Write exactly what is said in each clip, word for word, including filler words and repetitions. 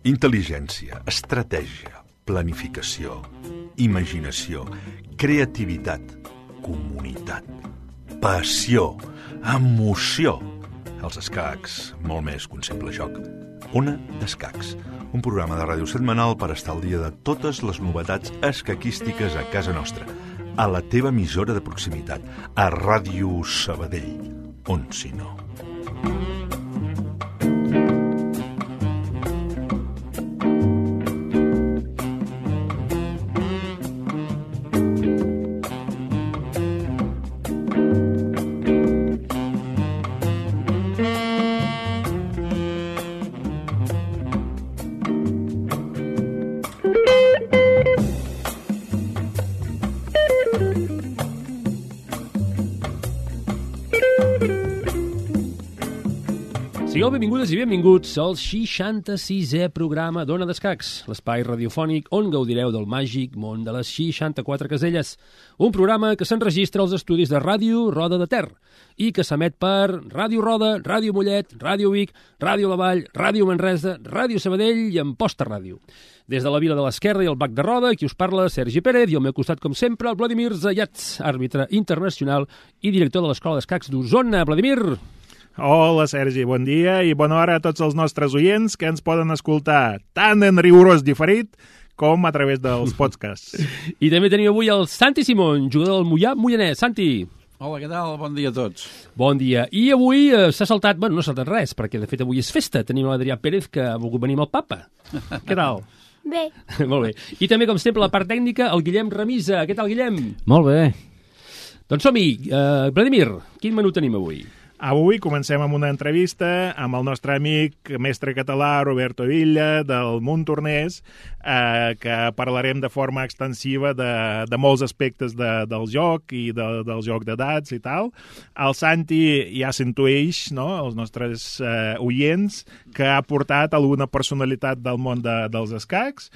Intel·ligència, estratègia, planificació, imaginació, creativitat, comunitat, passió, emoció. Els escacs, molt més que un simple joc. Ona d'Escacs, un programa de ràdio setmanal per estar al dia de totes les novetats escaquístiques a casa nostra, a la teva emissora de proximitat, a Ràdio Sabadell, on si no. Sigueu benvingudes i benvinguts al seixanta-sisè programa d'Ona d'Escacs, l'espai radiofònic on gaudireu del màgic món de les seixanta-quatre caselles. Un programa que s'enregistra als estudis de Ràdio Roda de Ter i que s'emet per Ràdio Roda, Ràdio Mollet, Ràdio Vic, Ràdio La Vall, Ràdio Manresa, Ràdio Sabadell i Amposta Ràdio. Des de la Vila de l'Esquerra i el Bac de Roda, qui us parla, Sergi Pérez, i al meu costat, com sempre, el Vladimir Zayats, àrbitre internacional i director de l'Escola d'Escacs d'Osona. Vladimir! Hola, Sergi, bon dia i bona hora a tots els nostres oients que ens poden escoltar tant en rigorós diferit com a través dels podcasts. I també tenim avui el Santi Simón, jugador del Moià Moianès. Santi! Hola, què tal? Bon dia a tots. Bon dia. I avui eh, s'ha saltat, bueno, no s'ha saltat res, perquè de fet avui és festa. Tenim l'Adrià Pérez, que ha volgut venir amb el papa. Què tal? Bé. Molt bé. I també, com sempre, la part tècnica, el Guillem Remisa. Què tal, Guillem? Molt bé. Doncs som-hi. Uh, Vladimir, quin menú tenim avui? Avui comencem amb una entrevista amb el nostre amic mestre català Roberto Villa del Montornès, eh, que parlarem de forma extensiva de, de molts aspectes de, del joc i de, del joc d'edats i tal. El Santi ja s'intueix, no?, els nostres eh, oients, que ha portat alguna personalitat del món de, dels escacs.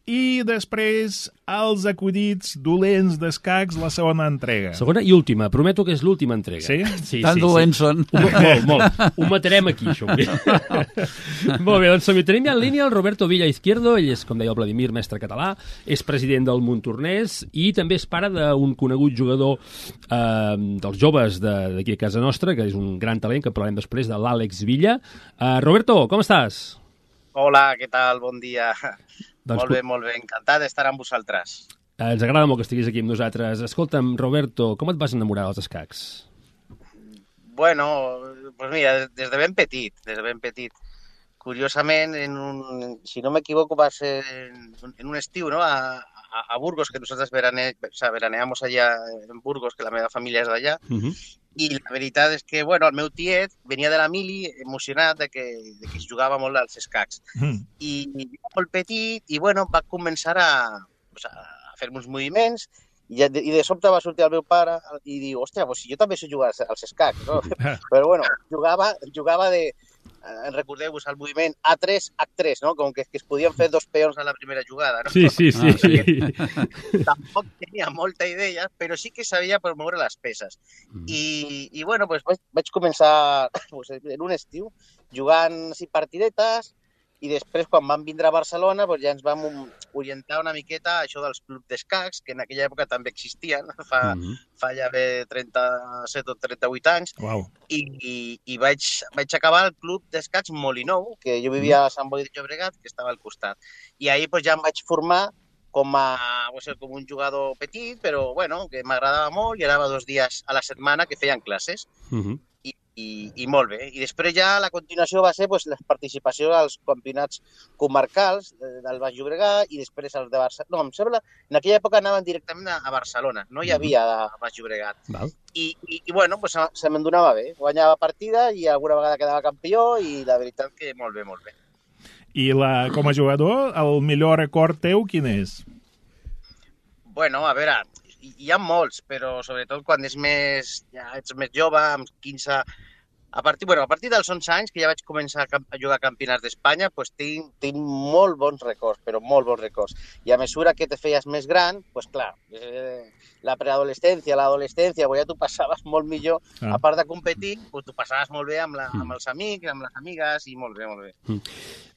I després, els acudits dolents d'escacs, la segona entrega. Segona i última. Prometo que és l'última entrega. Sí? Sí, Tan sí, dolents sí. són. Molt, molt. Ho matarem aquí, això. Molt bé, doncs som-hi. Tenim ja en línia el Roberto Villa Izquierdo. Ell és, com deia el Vladimir, mestre català, és president del Montornès i també és pare d'un conegut jugador eh, dels joves d'aquí a casa nostra, que és un gran talent, que parlarem després, de l'Àlex Villa. Eh, Roberto, com estàs? Hola, què tal? Bon dia. Doncs, molt bé, molt bé. Encantat d'estar amb vosaltres. Eh, ens agrada molt que estiguis aquí amb nosaltres. Escolta'm, Roberto, com et vas enamorar dels escacs? Bueno, pues mira, des de ben petit, des de ben petit. Curiosament, en un, si no m'equivoco, va ser en, en un estiu, ¿no?, a, a, a Burgos, que nosaltres verane, o sea, veraneamos allà en Burgos, que la meva família és d'allà. Uh-huh. I la veritat és que, bueno, el meu tiet venia de la mili emocionat de que, de que es jugava molt als escacs. Mm. I, i molt petit, i bueno, va començar a, pues, a fer uns moviments, i de, i de sobte va sortir el meu pare i diu, hòstia, pues si jo també sé jugar als, als escacs, no? Però bueno, jugava, jugava de... Eh, recordeu-vos el moviment A tres, H tres, no? Com que, que es podien fer dos peons a la primera jugada, no? Sí, sí, sí. Ah, tampoc tenia molta idea, però sí que sabia per moure les peces. Mm. I, i bueno, pues, vaig, vaig començar pues, en un estiu jugant així partidetes i després, quan vam vindre a Barcelona, pues, ja ens vam orientar una miqueta a això dels clubs d'escacs, que en aquella època també existien, fa, mm-hmm. fa ja bé trenta-set o trenta-vuit anys, wow. i, i, i vaig, vaig acabar al club d'escacs Molinou, que jo vivia a Sant Boi de Llobregat, que estava al costat. I ahir pues, ja em vaig formar com, a, com un jugador petit, però bueno, que m'agradava molt, i anava dos dies a la setmana que feien classes. Mm-hmm. I, i molt bé. I després ja la continuació va ser pues, la participació als campionats comarcals del Baix Llobregat i després els de Barcelona. No, em sembla, en aquella època anaven directament a Barcelona, no hi havia a Baix Llobregat. Val. I, i, i bueno, pues, se me'n donava bé. Guanyava partida i alguna vegada quedava campió i la veritat que molt bé, molt bé. I la, com a jugador, el millor record teu quin és? Bueno, a veure, hi ha molts, però sobretot quan és més, ja ets més jove, amb quinze, A partir, bueno, a partir dels onze anys, que ja vaig començar a, a jugar a campionats d'Espanya, pues tinc, tinc molt bons records, però molt bons records. I a mesura que te feies més gran, pues clar, eh, la preadolescència, l'adolescència, pues ja tu passaves molt millor, ah. a part de competir, pues tu passaves molt bé amb, la, amb els amics, amb les amigues, i molt bé, molt bé. Mm.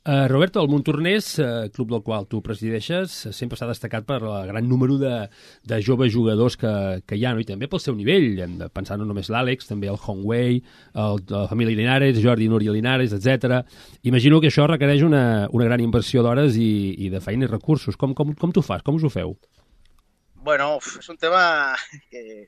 Uh, Roberto, el Montornès, uh, club del qual tu presideixes, sempre s'ha destacat per el gran número de, de joves jugadors que, que hi ha, no? I també pel seu nivell, hem de pensar no només l'Àlex, també el Hongwei, el, la família Linares, Jordi i Núria Linares, etcètera. Imagino que això requereix una, una gran inversió d'hores i, i de feina i recursos. Com, com, com t'ho fas? Com us ho feu? Bueno, és un tema que...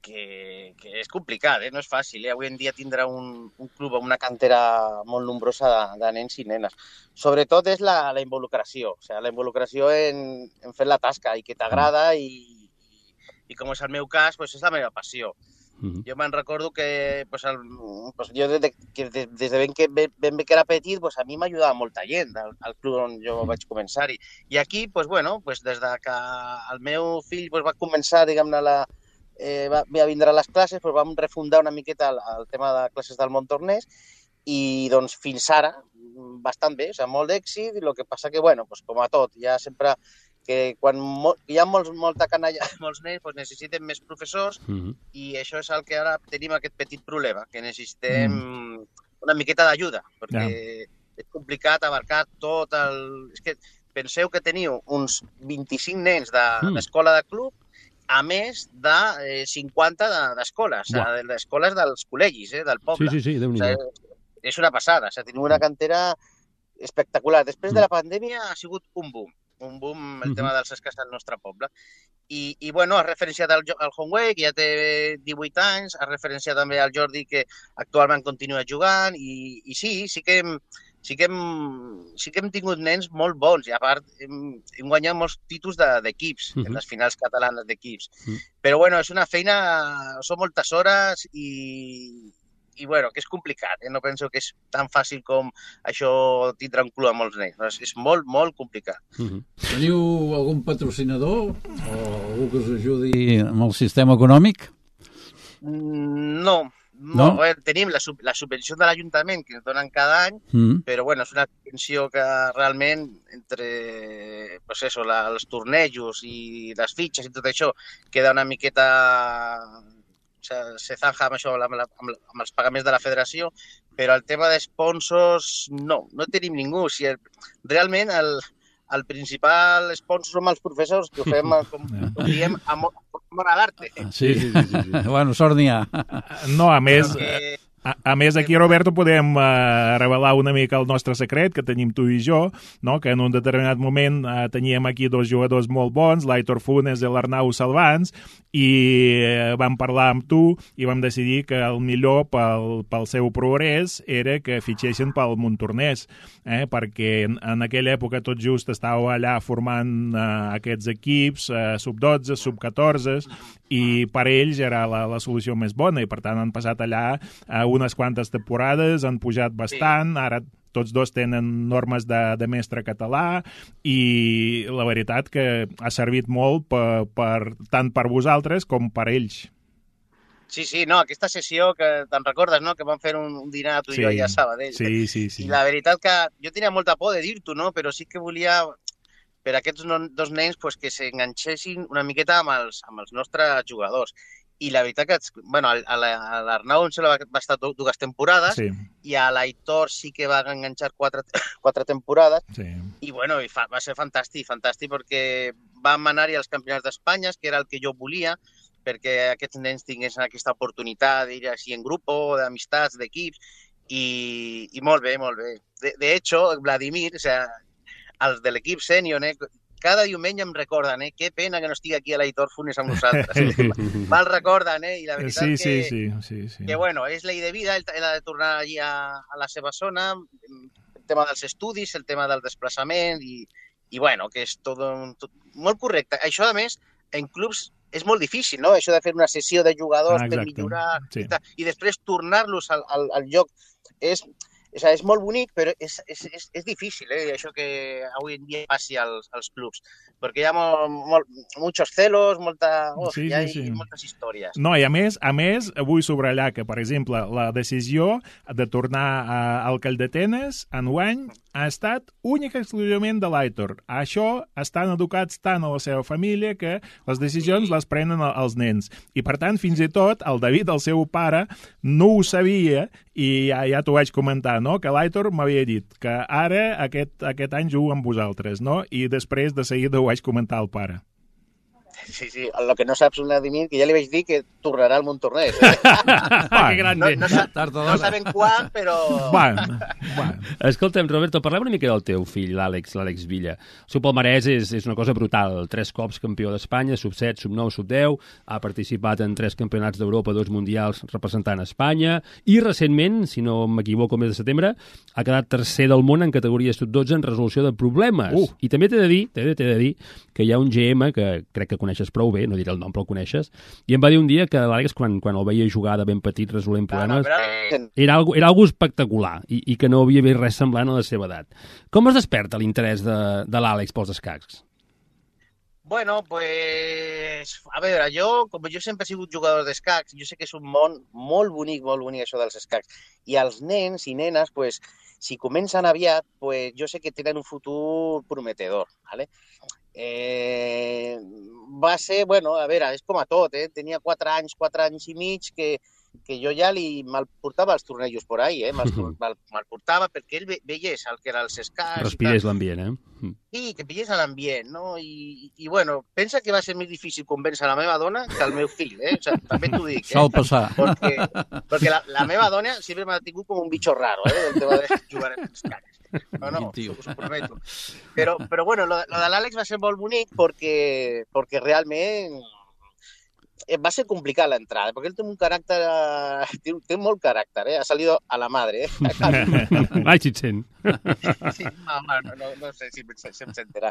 Que, que és complicat, eh? No és fàcil. Eh? Avui en dia tindrà un, un club amb una cantera molt nombrosa de, de nens i nenes. Sobretot és la, la involucració, o sigui, la involucració en, en fer la tasca i que t'agrada i, i, i com és el meu cas, pues és la meva passió. Mm-hmm. Jo me'n recordo que, pues, el, pues, jo des de, que des, des de ben, que, ben, ben bé que era petit, pues, a mi m'ajudava molta gent al, al club on jo vaig començar-hi. I aquí, pues, bueno, pues, des de que el meu fill pues, va començar, diguem-ne, la Eh, va, va vindre a les classes, doncs vam refundar una miqueta el, el tema de classes del Montornès i doncs fins ara bastant bé, o sigui, molt d'èxit, i el que passa que, bueno, doncs, com a tot, ja sempre que quan mo, hi ha molts, molta canalla, molts nens, doncs necessiten més professors mm-hmm. i això és el que ara tenim aquest petit problema, que necessitem mm. una miqueta d'ajuda, perquè yeah. és complicat abarcar tot el... És que penseu que teniu uns vint-i-cinc nens d'escola de, de club, a més de eh, cinquanta d'escoles, de, de d'escoles dels col·legis, eh, del poble. Sí, sí, sí, Déu-n'hi-do. O sigui, és una passada, o sigui, tenim una cantera espectacular. Després de la pandèmia ha sigut un boom, un boom el uh-huh. tema dels escacs del nostre poble. I, i bueno, has referenciat al, al Hongwei, que ja té divuit anys, has referenciat també al Jordi, que actualment continua jugant, i, i sí, sí que hem, sí que hem, sí que hem tingut nens molt bons, i a part hem, hem guanyat molts títols d'equips, de, uh-huh. en les finals catalanes d'equips. Uh-huh. Però bueno, és una feina, són moltes hores i, i bueno, que és complicat, eh? No penso que és tan fàcil com això tindre un club amb molts nens. És, és molt, molt complicat. Uh-huh. Teniu algun patrocinador o algú que us ajudi amb el sistema econòmic? No. No, no? Veure, tenim la, sub, la subvenció de l'Ajuntament que ens donen cada any, mm. però bueno, és una subvenció que realment entre pues eso, la, els tornejos i les fitxes i tot això queda una miqueta... O sigui, se zanja amb això, amb, la, amb, la, amb els pagaments de la federació, però el tema de sponsors no, no tenim ningú. O sigui, realment el, el principal sponsor som els professors, que ho fem, com, com diem, amor, amor a l'arte. Sí, sí, sí, sí, sí. Bueno, sort n'hi ha. No, a més... Que... A, a més, aquí, Roberto, podem uh, revelar una mica el nostre secret que tenim tu i jo, no? Que en un determinat moment uh, teníem aquí dos jugadors molt bons, l'Aitor Funes i l'Arnau Salvans, i uh, vam parlar amb tu i vam decidir que el millor pel, pel seu progrés era que fitxessin pel Montornès, eh? Perquè en, en aquella època tot just estàveu allà formant uh, aquests equips, uh, sub dotze, sub catorze, i per ells era la, la solució més bona, i per tant han passat allà uh, unes quantes temporades, han pujat bastant, ara tots dos tenen normes de, de mestre català, i la veritat que ha servit molt per, per, tant per vosaltres com per ells. Sí, sí, no, aquesta sessió que te'n recordes, no?, que vam fer un, un dinar tu i sí, jo allà a Sabadell. Sí, sí, sí. I la veritat que jo tenia molta por de dir-t'ho, no?, però sí que volia per a aquests no, dos nens pues, que s'enganxessin una miqueta amb els, amb els nostres jugadors. I la veritat que, bueno, a l'Arnau va, va estar dues temporades, sí. I a l'Aitor sí que va enganxar quatre, quatre temporades, sí. I bueno, i fa, va ser fantàstic, fantàstic perquè vam anar-hi als campionats d'Espanya, que era el que jo volia, perquè aquests nens tinguessin aquesta oportunitat d'ir així en grup, d'amistats, d'equips, i, i molt bé, molt bé. De, de hecho, Vladimir, o sea, els de l'equip sènior, eh, cada diumenge em recorden, eh? Que pena que no estigui aquí a l'Aitor Funes amb nosaltres. Me'l recorden, eh? I la veritat sí, que, sí, sí, sí, sí. que, bueno, és llei de vida, ell ha de tornar allí a, a la seva zona, el tema dels estudis, el tema del desplaçament, i, i bueno, que és tot, tot molt correcte. Això, a més, en clubs és molt difícil, no? Això de fer una sessió de jugadors ah, per millorar, sí. i, i després tornar-los al, al, al lloc és... O sigui, és molt bonic, però és, és, és, és difícil, eh, això que avui en dia passi als, als clubs, perquè hi ha molt, molt, muchos celos, molta, oh, sí, hi ha sí, sí. moltes històries. No, i a més, a més, vull subratllar que, per exemple, la decisió de tornar a, al Calldetenes enguany ha estat única i exclusivament de l'Aitor. Això estan educats tant a la seva família que les decisions les prenen els nens. I, per tant, fins i tot, el David, el seu pare, no ho sabia i ja, ja t'ho vaig comentar, no? Que l'Aitor m'havia dit que ara aquest, aquest any jugo amb vosaltres, no? I després de seguida ho vaig comentar al pare. Sí, sí, el que no saps, Vladimir, que ja li vaig dir que tornarà al Montornès. Eh? Que grande. No, no, no sabem quan, però... Bueno, bueno. Escolta'm, Roberto, parlem una mica del teu fill, l'Àlex, l'Àlex Villa. El seu palmarès és, és una cosa brutal. Tres cops campió d'Espanya, sub set, sub nou, sub deu, ha participat en tres campionats d'Europa, dos mundials representant Espanya, i recentment, si no m'equivoco, mes de setembre, ha quedat tercer del món en categoria sub dotze en resolució de problemes. Uh. I també t'he de dir, t'he de, t'he de dir que hi ha un G M que crec que coneixes prou bé, no diré el nom, però el coneixes, i em va dir un dia que l'Àlex, quan, quan el veia jugar de ben petit resolent problemes, no, no, era algo, era algo espectacular i, i que no havia vist res semblant a la seva edat. Com es desperta l'interès de, de l'Àlex pels escacs? Bueno, pues, a veure, jo, com jo sempre he sigut jugador d'escacs, jo sé que és un món molt bonic, molt bonic això dels escacs. I els nens i nenes, pues, si comencen aviat, pues, jo sé que tenen un futur prometedor, ¿vale? Eh, va ser, bueno, a veure, és com a tot, eh? Tenia quatre anys, quatre anys i mig que, que jo ja li me'l portava als tornejos por ahí, eh? Me'l me'l portava perquè ell ve, veiés el que era els escacs. Respirés l'ambient, eh? Sí, que pillés a l'ambient, no? I, i, bueno, pensa que va ser més difícil convèncer la meva dona que el meu fill, eh? O sea, també t'ho dic, eh? Sol passar. Perquè, perquè la, la meva dona sempre m'ha tingut com un bitxo raro, eh? Del tema de jugar en escacs. No, no, us ho prometo. Però, però bueno, lo, lo de l'Àlex va ser molt bonic perquè, perquè realment va ser complicat l'entrada, perquè ell té un caràcter, té, té molt caràcter, eh? Ha salido a la madre, eh? Ai, si et sent. Sí, no, no, no, no sé si, si em sentirà.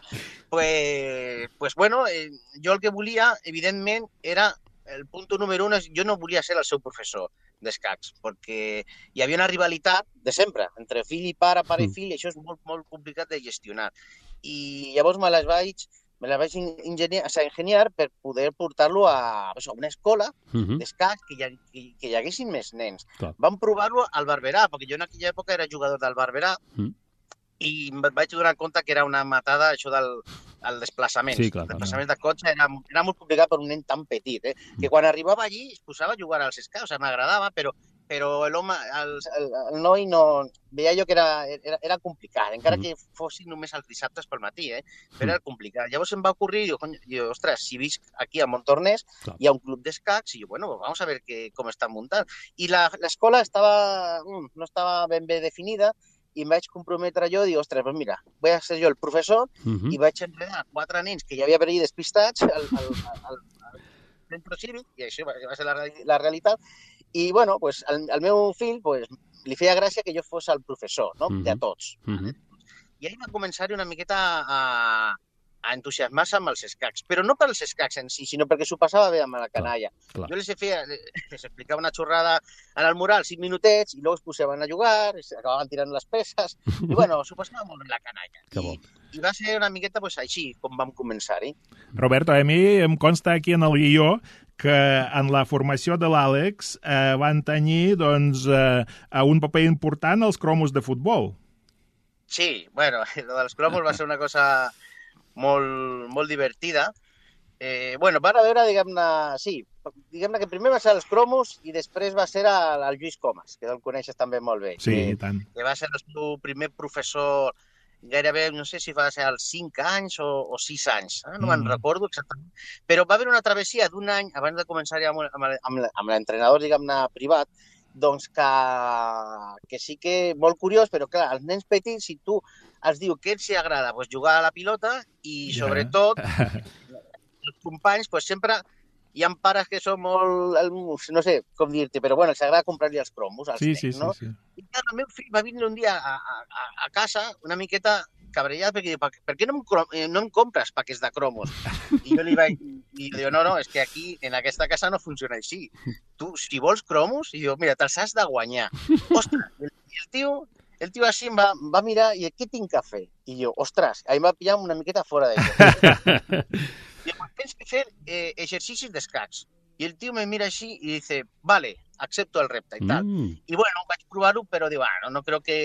Pues, pues bueno, eh, jo el que volia, evidentment, era el punt número un, jo no volia ser el seu professor d'escacs, perquè hi havia una rivalitat de sempre, entre fill i pare, pare i fill, i això és molt, molt complicat de gestionar. I llavors me les vaig, me les vaig ingeniar, o sigui, ingeniar per poder portar-lo a, a una escola uh-huh. d'escacs que, hi, que, que hi haguessin més nens. Clar. Vam provar-lo al Barberà, perquè jo en aquella època era jugador del Barberà, uh-huh. i em vaig donar compte que era una matada això del el desplaçament. Sí, clar, el desplaçament clar. de cotxe era, era molt complicat per un nen tan petit, eh? Que quan arribava allí es posava a jugar als escacs, o sigui, m'agradava, però, però l'home, el, el, el noi no... Veia jo que era, era, era complicat, encara que fossin només els dissabtes pel matí, eh? Però era complicat. Llavors em va ocorrir, jo, jo ostres, si visc aquí a Montornès, clar. Hi ha un club d'escacs, i jo, bueno, vamos a ver que, com estan muntant. I l'escola estava, no estava ben bé definida, i em vaig comprometre jo, dic, ostres, pues mira, vull ser jo el professor, uh-huh. i vaig enredar quatre nens que ja havia per allà despistats al, al, al, al centre cívic, i això va, va ser la, la realitat, i bueno, pues, el, el meu fill pues, li feia gràcia que jo fos el professor, no? Uh-huh. De tots. Uh-huh. I ahir va començar una miqueta a, a entusiasmar-se amb els escacs, però no pels escacs en si, sinó perquè s'ho passava bé amb la canalla. Clar, clar. Jo les, feia, les explicava una xorrada en el mural, cinc minutets, i llavors es posaven a jugar, acabaven tirant les peces, i bueno, s'ho passava molt bé la canalla. I, I va ser una miqueta pues, així com vam començar-hi. Roberto, a mi em consta aquí en el guió que en la formació de l'Àlex eh, van tenir doncs, eh, un paper important als cromos de futbol. Sí, bueno, lo dels cromos va ser una cosa molt, molt divertida. Eh, bueno, van a veure, diguem-ne, sí, diguem-ne que primer va ser els cromos i després va ser el, el Lluís Comas, que el coneixes també molt bé. Sí, que, i tant. Que va ser el seu primer professor gairebé, no sé si va ser als cinc anys o, o sis anys, eh? No mm. me'n recordo exactament, però va haver una travessia d'un any, abans de començar ja amb, amb, amb, amb l'entrenador, diguem-ne, privat, doncs que, que sí que molt curiós, però clar, els nens petits, si tu els diu que els agrada pues, jugar a la pilota i sobretot els companys pues, sempre hi ha pares que són molt, no sé com dir-te, però bueno, els agrada comprar-li els cromos als sí, nens, sí, no? Sí, sí. I clar, el meu fill va vindre un dia a, a, a casa una miqueta cabrellat perquè diu, per què no em, no em compres paquets de cromos? I jo li vaig dir, no, no, és que aquí, en aquesta casa no funciona així. Tu, si vols cromos, i jo, mira, te'ls has de guanyar. Ostres, i el tio el tio així em va, va mirar i què tinc que fer? I jo, ostres, ahir m'ha pillat una miqueta fora d'això. I em tens que fer eh, exercicis d'escacs. I el tio me mira així i dice, vale, acepto el repte i tal. Mm. I bueno, vaig provar-ho, però diu, ah, no, no crec que...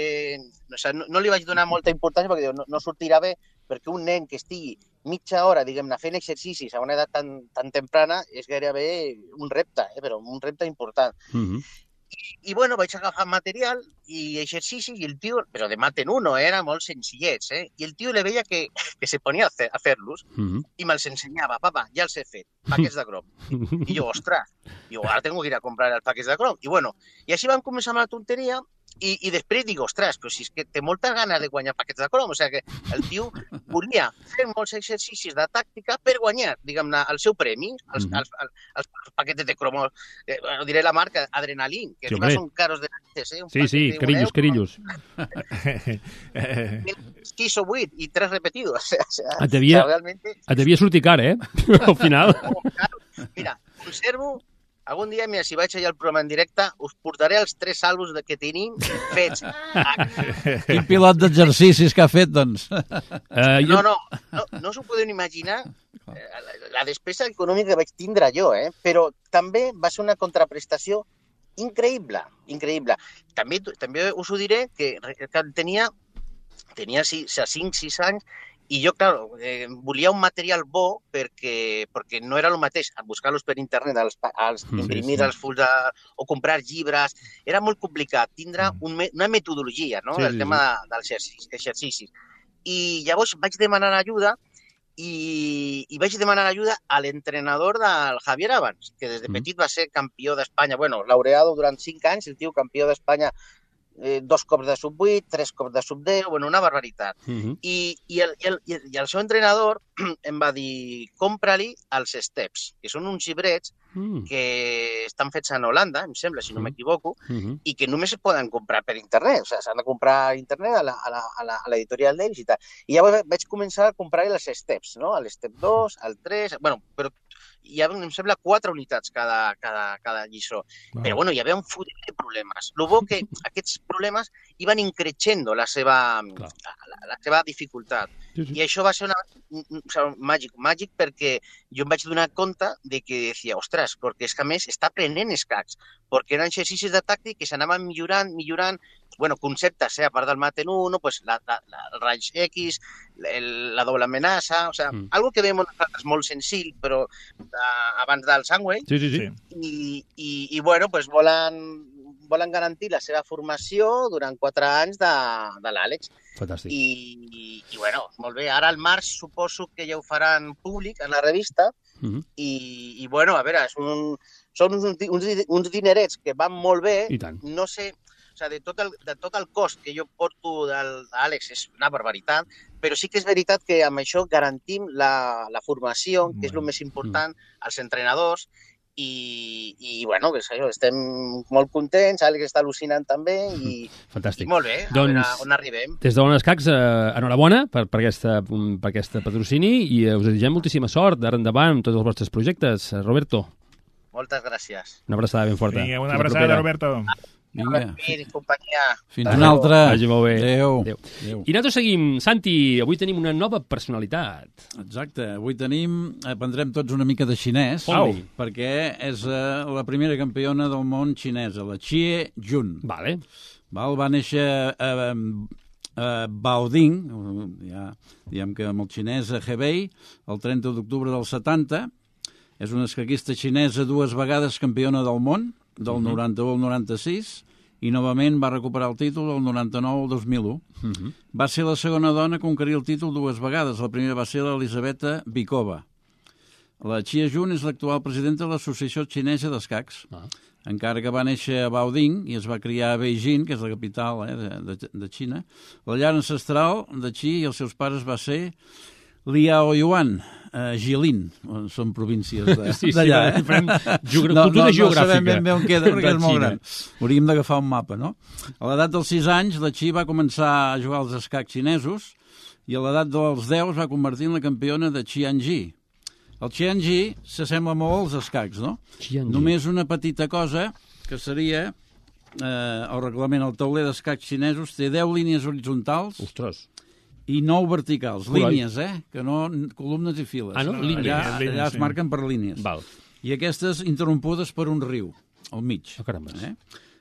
O sea, no, no li vaig donar molta importància perquè diu, no, no sortirà bé, perquè un nen que estigui mitja hora, diguem-ne, fent exercicis a una edat tan, tan temprana és gairebé un repte, eh, però un repte important. Mm-hmm. I, I, bueno, vaig agafar material i exercicis i el tio, però de maten uno, eh, era molt senzillets, eh? I el tio le veia que, que se ponia a, fer, a fer-los Mm-hmm. i me'ls ensenyava. Papa, ja els he fet, paquets de crom. I jo, ostres, jo ara tengo que ir a comprar els paquets de crom. I bueno, i així vam començar amb la tonteria i, i després dic, ostres, però si és que té moltes ganes de guanyar paquets de crom, o sigui que el tio volia fer molts exercicis de tàctica per guanyar, diguem-ne, el seu premi, els, Mhm. els, els, els paquets de cromo, eh, bueno, diré la marca, Adrenalin, que Sí, sí, hombre. són caros de narices, eh? Un Sí, paquet sí, de un carillos, euro, carillos. Eh, sis o vuit i tres repetidos. O sea, o sea, Et devia- o sea, realmente, Et devia sortir car, eh? Al final. mira, conservo, algun dia, mira, si vaig allà al programa en directe, us portaré els tres àlbums que tenim fets. Quin pilot d'exercicis que ha fet, doncs. Uh, No, no, no, no us ho podeu imaginar eh, la, la despesa econòmica que vaig tindre jo, eh? Però també va ser una contraprestació increïble, increïble. També, també us ho diré que, que tenia, tenia cinc sis anys i jo, clar, eh, volia un material bo perquè, perquè no era el mateix buscar-los per internet, els, els Sí, imprimir sí. els fulls de, o comprar llibres. Era molt complicat tindre un, me- una metodologia, no?, Sí, del sí, tema de, dels exercicis, exercicis. I llavors vaig demanar ajuda i, i vaig demanar ajuda a l'entrenador del Javier Abans, que des de Mm. petit va ser campió d'Espanya, bueno, laureado durant cinc anys, el tio campió d'Espanya eh, dos cops de sub vuit, tres cops de sub deu, bueno, una barbaritat. Mm-hmm. I, i, el, i, el, i el- i el seu entrenador em va dir, compra-li els steps, que són uns llibrets Mm. que estan fets en Holanda, em sembla, si no Mm. m'equivoco, Mm-hmm. i que només es poden comprar per internet, o sigui, s'han de comprar a internet a la- a la- a la- a l'editorial d'ells i tal. I llavors vaig començar a comprar els steps, no? L'step dos, el tres, bueno, però hi havia, em sembla, quatre unitats cada, cada, cada lliçó. Wow. Però, bueno, hi havia un fotimer de problemes. El bo que aquests problemes iban increixendo la seva, Clar. la, la seva dificultat. Sí, sí. I això va ser una, un, un, o sigui, màgic, màgic perquè jo em vaig donar compte de que decía, ostres, perquè és que a més està aprenent escacs, perquè eren exercicis de tàctic que s'anaven millorant, millorant, bueno, conceptes, eh, a part del Maten uno, pues la, la, la, el raig X, el, la doble amenaça, o sigui, Mm. mm. algo que veiem nosaltres molt senzill, però de, abans del Sandway, Sí, sí, sí. sí. i, i, i bueno, pues volen, volen garantir la seva formació durant quatre anys de, de l'Àlex. Fantàstic. I, i, I, bueno, molt bé. Ara al març suposo que ja ho faran públic en la revista Mm-hmm. i, i bueno, a veure, és un, són uns, uns, uns dinerets que van molt bé. I tant. No sé, o sigui, de tot el, de tot el cost que jo porto del d'Àlex és una barbaritat, però sí que és veritat que amb això garantim la, la formació, que és el més important, als entrenadors, i, i bueno, pues, això, estem molt contents, Àlex està al·lucinant també, i, Fantàstic. i molt bé, a Doncs- veure on arribem. Des d'Ona Escacs, eh, enhorabona per, per, aquesta, per aquesta patrocini i eh, us desitgem moltíssima sort d'ara endavant amb tots els vostres projectes. Eh, Roberto, Moltes gràcies. una abraçada ben forta. Vinga, una Fins la abraçada, propera. Roberto. Vinga, I companyia. fins una altra. Vagi molt bé. Adéu. Adéu. Adéu. I nosaltres seguim. Santi, avui tenim una nova personalitat. Exacte, avui tenim, aprendrem tots una mica de xinès, Au. perquè és uh, la primera campiona del món xinesa, la Xie Jun. Vale. Val? Va néixer a, a Baoding, ja, diguem que amb el xinès a Hebei, el trenta d'octubre del setanta. És una escaquista xinesa dues vegades campiona del món, del Mhm. noranta-u al noranta-sis, i novament va recuperar el títol el noranta-nou al dos mil u. Uh -huh. Va ser la segona dona a conquerir el títol dues vegades. La primera va ser l'Elisabeta Bikova. La Xie Jun és l'actual presidenta de l'Associació Xinesa d'Escacs. Ah. Encara que va néixer a Baoding i es va criar a Beijing, que és la capital eh, de, de, de Xina, la llar ancestral de Xi i els seus pares va ser Liaoyuan, eh, Jilin, són províncies de- Sí, sí, d'allà. eh? farem geogra- no, cultura no, geogràfica. No sabem ben bé on queda, de perquè és molt Xina. gran. Hauríem d'agafar un mapa, no? A l'edat dels sis anys, la Xi va començar a jugar als escacs xinesos i a l'edat dels deu es va convertir en la campiona de Qianji. El Qianji s'assembla molt als escacs, no? Qianji. Només una petita cosa, que seria eh, el reglament, el tauler d'escacs xinesos té deu línies horitzontals Ostres. i nou verticals. Coroi. Línies, eh? Que no columnes i files. Ah, no? Línies. Allà, Línies, allà sí. es marquen per línies. Val. I aquestes interrompudes per un riu, al mig. Oh, caramba. Eh?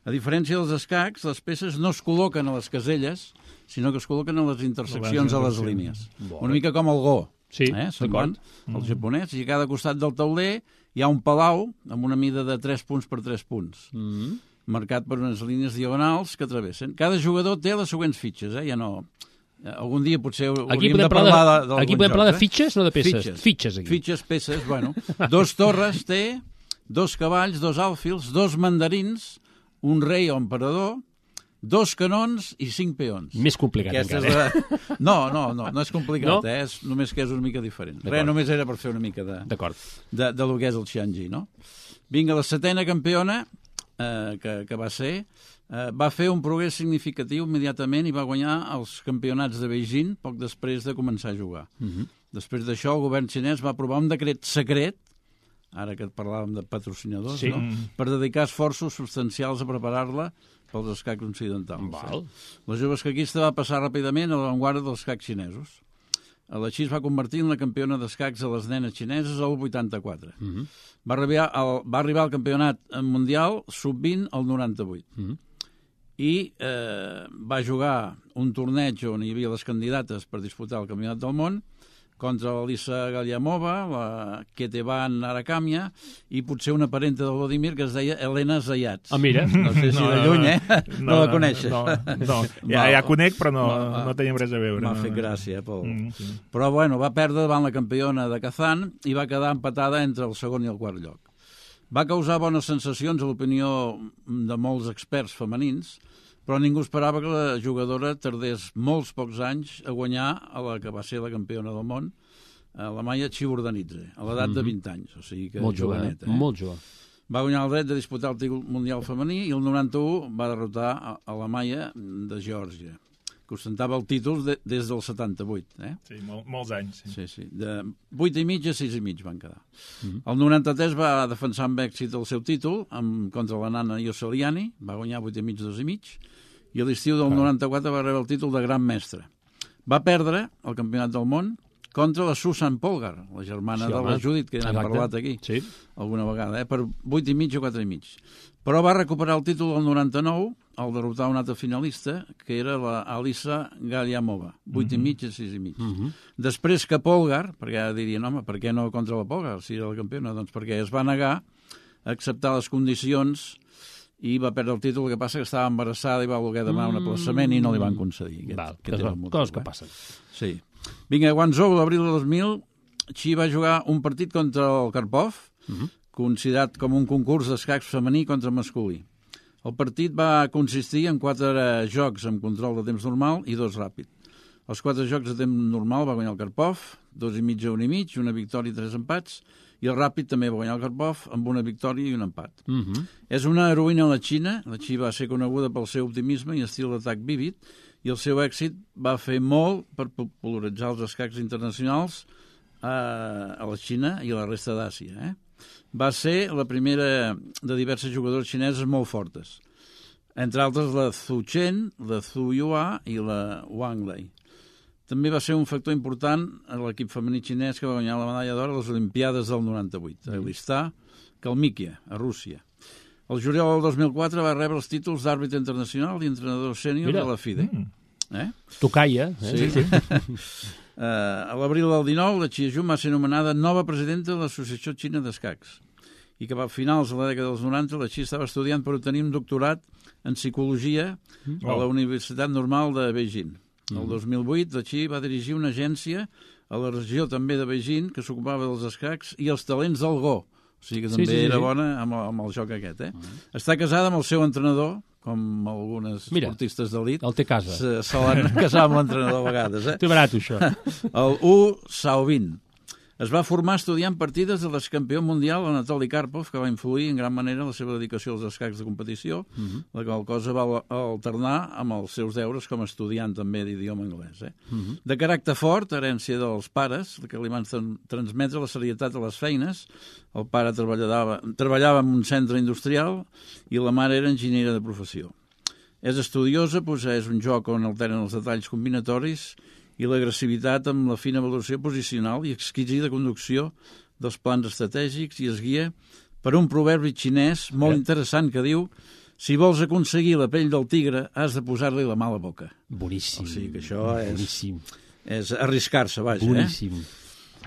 A diferència dels escacs, les peces no es col·loquen a les caselles, sinó que es col·loquen a les interseccions de les línies. Bona. Una mica com el go. Sí, eh? Semblant d'acord. al japonès. I a cada costat del tauler hi ha un palau amb una mida de tres punts per tres punts, Mm. marcat per unes línies diagonals que travessen. Cada jugador té les següents fitxes, eh? Ja no... Algun dia potser hauríem Aquí de podem parlar parlar de, d'algun aquí podem joc, parlar eh? de fitxes, no de peces. Fitxes. Fitxes, aquí. Fitxes, peces, bueno. Dos torres té, dos cavalls, dos àlfils, dos mandarins, un rei o emperador, dos canons i cinc peons. Més complicat Aquesta encara. és la... No, no, no, no és complicat, No? eh? És només que és una mica diferent. D'acord. Res, només era per fer una mica de, D'acord. de, de lo que és el Xianji, no? Vinga, la setena campiona, eh, que, que va ser, eh, va fer un progrés significatiu immediatament i va guanyar els campionats de Beijing poc després de començar a jugar. Uh -huh. Després d'això, el govern xinès va aprovar un decret secret, ara que parlàvem de patrocinadors, Sí. no? Per dedicar esforços substancials a preparar-la pels escacs occidentals. Val. La jove escaquista va passar ràpidament a l'avantguarda dels escacs xinesos. Així es va convertir en la campiona d'escacs de les nenes xineses al vuitanta-quatre. Uh -huh. Va arribar al, va arribar al campionat mundial sub vint al noranta-vuit. Uh -huh. I eh, va jugar un torneig on hi havia les candidates per disputar el campionat del món contra l'Alisa Galiamova, la Ketevan Arakamia i potser una parenta del Vladimir que es deia Helena Zayats. Ah, mira. No sé si No, de lluny, eh? No, no, la coneixes. No, no. Ja, ja conec, però no, Va, no tenim res a veure. M'ha no, fet no. gràcia, Pol. Mm, sí. Però, bueno, va perdre davant la campiona de Kazan i va quedar empatada entre el segon i el quart lloc. Va causar bones sensacions a l'opinió de molts experts femenins, però ningú esperava que la jugadora tardés molts pocs anys a guanyar a la que va ser la campiona del món, a la Maya Chiburdanidze, a l'edat de vint anys, o sigui que Molt jove, joveneta. eh? Molt jove. Va guanyar el dret de disputar el títol mundial femení i el noranta-u va derrotar a, a la Maya de Geòrgia, que ostentava el títol de, des del setanta-vuit. Eh? Sí, mol, molts anys. Sí. Sí, sí. De vuit i mig a sis i mig van quedar. Mm-hmm. El noranta-tres va defensar amb èxit el seu títol amb, contra la nana Yosseliani, va guanyar vuit i mig, dos i mig, i a l'estiu del noranta-quatre va rebre el títol de gran mestre. Va perdre el campionat del món contra la Susan Polgar, la germana Sí, de home. la Judit, que n'hem Exacte. parlat aquí Sí. alguna vegada, eh? Per vuit i mig o quatre i mig. Però va recuperar el títol del noranta-nou al derrotar un altre finalista, que era la Alisa Galiamova, vuit i mig a sis i mig. Mhm. Després que Polgar, perquè ara dirien, home, per què no contra la Polgar, si era la campiona? Doncs perquè es va negar a acceptar les condicions i va perdre el títol, el que passa que estava embarassada i va voler demanar un aplaçament i no li van concedir. Aquest, Val, aquest era el motiu, coses que eh? passen. Sí. Vinga, a Guangzhou, l'abril de dos mil, Xi va jugar un partit contra el Karpov, uh -huh. considerat com un concurs d'escacs femení contra masculí. El partit va consistir en quatre jocs amb control de temps normal i dos ràpid. Els quatre jocs de temps normal va guanyar el Karpov, dos i mig a un i mig, una victòria i tres empats, i el ràpid també va guanyar el Karpov amb una victòria i un empat. Uh -huh. És una heroïna a la Xina. La Xi va ser coneguda pel seu optimisme i estil d'atac vívid, i el seu èxit va fer molt per popularitzar els escacs internacionals a, a la Xina i a la resta d'Àsia. Eh? Va ser la primera de diverses jugadores xineses molt fortes, entre altres la Zhu Chen, la Zhu Yua i la Wang Lei. També va ser un factor important a l'equip femení xinès que va guanyar la medalla d'or a les Olimpiades del noranta-vuit, a Elistà, Kalmykia, a Rússia. El juliol del dos mil quatre va rebre els títols d'àrbitre internacional i entrenador sènior Mira. de la FIDE. Mm. Eh? Tocalla. Eh? Sí. sí. uh, a l'abril del dinou, la Xi Jun va ser nomenada nova presidenta de l'Associació Xina d'Escacs i que a finals de la dècada dels noranta la Xi estava estudiant per obtenir un doctorat en psicologia a la Universitat Normal de Beijing. El dos mil vuit, la Xi va dirigir una agència a la regió també de Beijing que s'ocupava dels escacs i els talents del Go. O sigui que Sí, també sí, sí, era sí. bona amb, amb el joc aquest. Eh? Està casada amb el seu entrenador, com algunes Mira, esportistes d'elit. El té a casa. Se solen casar amb l'entrenador a vegades. Eh? Té barat, això. El U Saobin. Es va formar estudiant partides de l'excampió mundial Anatoly Karpov, que va influir en gran manera en la seva dedicació als escacs de competició, uh-huh. la qual cosa va alternar amb els seus deures com a estudiant també d'idioma anglès. Eh? Uh-huh. De caràcter fort, herència dels pares, que li van transmetre la serietat a les feines. El pare treballava, treballava en un centre industrial i la mare era enginyera de professió. És estudiosa, posseeix un joc on alteren els detalls combinatoris i l'agressivitat amb la fina valoració posicional i exquisida conducció dels plans estratègics, i es guia per un proverbi xinès molt interessant que diu: si vols aconseguir la pell del tigre, has de posar-li la mà a la boca. Boníssim. O sigui que això és, Boníssim. és arriscar-se, vaja. Boníssim. Eh?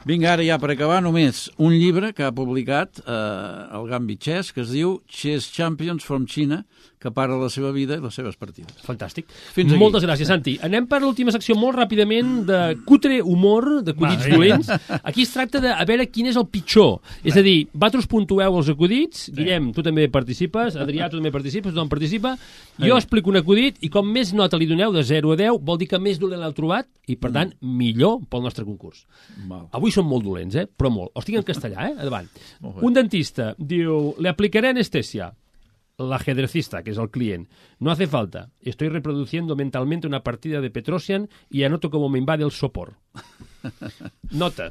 Vinga, ara ja per acabar, només un llibre que ha publicat eh, el Gambit Chess, que es diu Chess Champions from China, que parla de la seva vida i les seves partides. Fantàstic. Fins aquí. Moltes gràcies, Santi. Anem per l'última secció molt ràpidament de cutre humor, d'acudits dolents. Aquí es tracta de a veure quin és el pitjor. És a dir, vosaltres puntueu els acudits. Sí. Guillem, tu també participes. Adrià, tu també participes. Tothom participa. Jo explico un acudit i com més nota li doneu, de zero a deu, vol dir que més dolent l'heu trobat i, per tant, millor pel nostre concurs. Val. Avui són molt dolents, eh? Però molt. Els tinc en castellà, eh? Endavant. Un dentista diu: le aplicaré anestesia. L'ajedrecista, que és el client: no hace falta, estoy reproduciendo mentalmente una partida de Petrosian y anoto como me invade el sopor. Nota.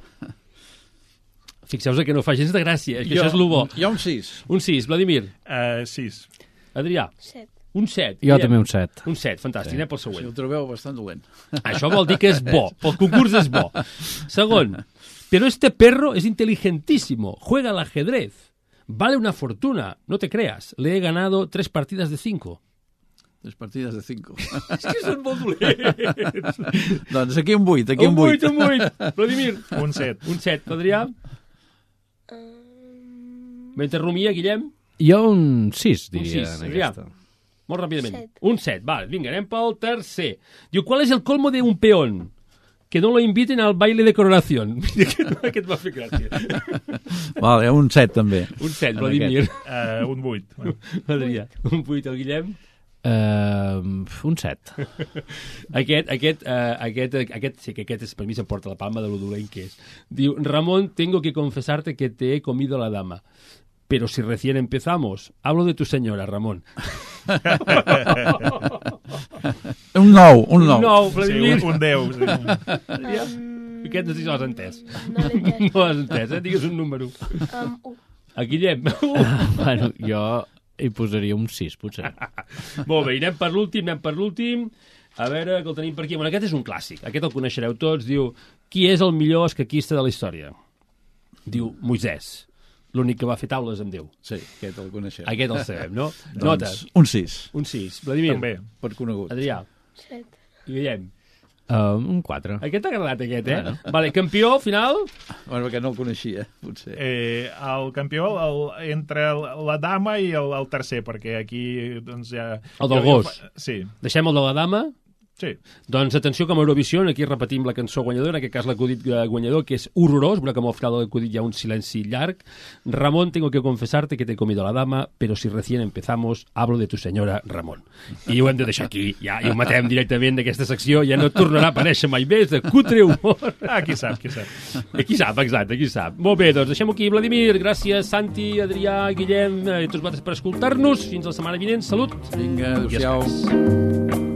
Fixeu-vos que no fa gens de gràcia, que jo, això és lo bo. Hi ha un sis. Un sis, Vladimir. Uh, sis. Adrià. Set. Un set. Jo també un set. Un set, fantàstic, sí. Anem pel següent. Si el trobeu bastant dolent. Això vol dir que és bo, pel concurs és bo. Segon, pero este perro es inteligentísimo, juega al ajedrez. Vale una fortuna, no te creas. Le he ganado tres partidas de cinco. Tres partides de cinco. És que són molt dolents. Doncs aquí un vuit, aquí un vuit. Un vuit, un vuit. Vladimir. Un set. Un set. Adrià. Mentre rumia, Guillem. Jo un sis, diria, un sis. en Adrià. aquesta. Molt ràpidament. Set. Un set, vale. Vinga, anem pel tercer. Diu, ¿cuál es el colmo de un peón? Que no lo inviten al baile de coronación. Aquest m'ha fet gràcia. Vale, un set també. Un set, Vladimir. Uh, un vuit. Adrià. Un vuit, el Guillem. Uh, un set. Aquest, aquest, uh, aquest, aquest, sí que aquest és, per mi s'emporta la palma de lo dolent que és. Diu, Ramón, tengo que confesarte que te he comido la dama. Pero si recién empezamos, hablo de tu señora, Ramón. Un nou, un nou. Un nou, Sí, Vladimir. un, un deu. Sí. Adrià. Aquest no sé si l'has entès. No l'he entès. No l'has entès, eh? Digues un número. Um, un. A Guillem. Bueno, jo hi posaria un sis, potser. Molt bé, anem per l'últim, anem per l'últim. A veure, que el tenim per aquí. Bueno, aquest és un clàssic. Aquest el coneixereu tots. Diu, qui és el millor escaquista de la història? Diu, Moisès. L'únic que va fer taules amb Déu. Sí, aquest el coneixem. Aquest el sabem, no? Doncs, Notes. un sis. Un sis. Vladimir. També. Per conegut. Adrià. Set. I Guillem. Uh, un quatre. Aquest t'ha agradat, aquest, eh? Bueno. Vale, campió, final? Bueno, perquè no el coneixia, potser. Eh, el campió el, entre la dama i el, el tercer, perquè aquí doncs ja... El del jo- jo gos. fa- Sí, Deixem el de la dama. sí. Doncs atenció, com a Eurovisió, aquí repetim la cançó guanyadora, en aquest cas l'acudit guanyador, que és horrorós, veurà que al final de l'acudit hi ha un silenci llarg. Ramón, tengo que confesarte que te he comido la dama, pero si recién empezamos, hablo de tu senyora Ramón. I ho hem de deixar aquí, ja, i ho matem directament d'aquesta secció, ja no tornarà a aparèixer mai més, de cutre humor. Ah, qui sap, qui sap. I qui sap, exacte, qui sap. Molt bé, doncs deixem-ho aquí, Vladimir, gràcies, Santi, Adrià, Guillem, i tots vosaltres per escoltar-nos. Fins la setmana vinent, salut. Vinga, I adéu-siau. escacs.